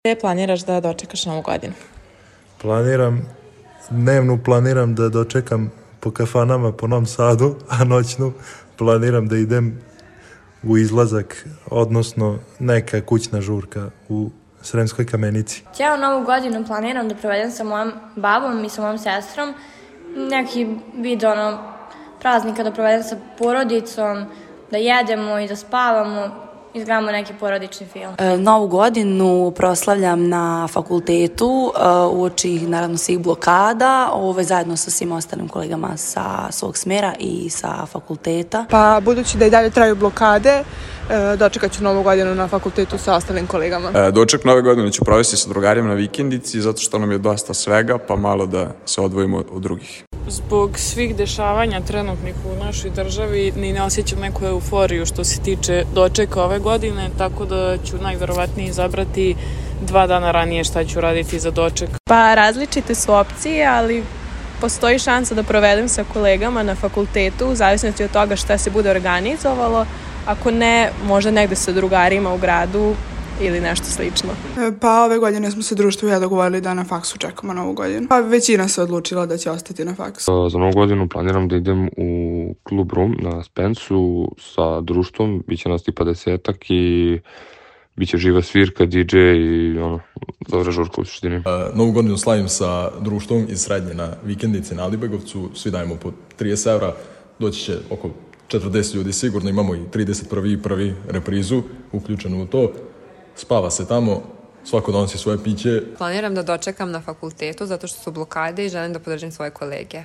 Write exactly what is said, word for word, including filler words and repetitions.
Gde planiraš da dočekaš Novu godinu? Planiram, dnevnu planiram da dočekam po kafanama po Novom Sadu, a noćnu planiram da idem u izlazak, odnosno neka kućna žurka u Sremskoj Kamenici. Cijelu Novu godinu planiram da provedem sa mojom babom i sa mojom sestrom. Neki vid ono, praznika da provedem sa porodicom, da jedemo i da spavamo, izgledamo neki porodični film. E, Novu godinu proslavljam na fakultetu e, uoči naravno svih blokada, ove, zajedno sa svim ostalim kolegama sa svog smjera i sa fakulteta. Pa budući da i dalje traju blokade, e, dočekat ću Novu godinu na fakultetu sa ostalim kolegama. E, doček Nove godine ću provesti sa drugarima na vikendici zato što nam je dosta svega, pa malo da se odvojimo od drugih. Zbog svih dešavanja trenutnih u našoj državi ni ne osjećam neku euforiju što se tiče dočeka ove godine, tako da ću najverovatnije izabrati dva dana ranije šta ću raditi za doček. Pa različite su opcije, ali postoji šansa da provedem sa kolegama na fakultetu, u zavisnosti od toga šta se bude organizovalo, ako ne, možda negde sa drugarima u gradu ili nešto slično. Pa ove godine smo se društvo i ja dogovorili da na faksu čekamo Novu godinu. Pa većina se odlučila da će ostati na faksu. Za Novu godinu planiram da idem u Club Room na Spensu sa društvom, bit će nas tipa desetak i bit će živa svirka, di džej i ono, dobra žurka u suštini. Uh, Novu godinu slavim sa društvom iz Srednje na vikendici na Alibegovcu, svi dajemo po trideset evra, doći će oko četrdeset ljudi sigurno, imamo i trideset prvi i prvi reprizu uključenu u to. Spava se tamo, svako donosi svoje piće. Planiram da dočekam na fakultetu zato što su blokade i želim da podržim svoje kolege.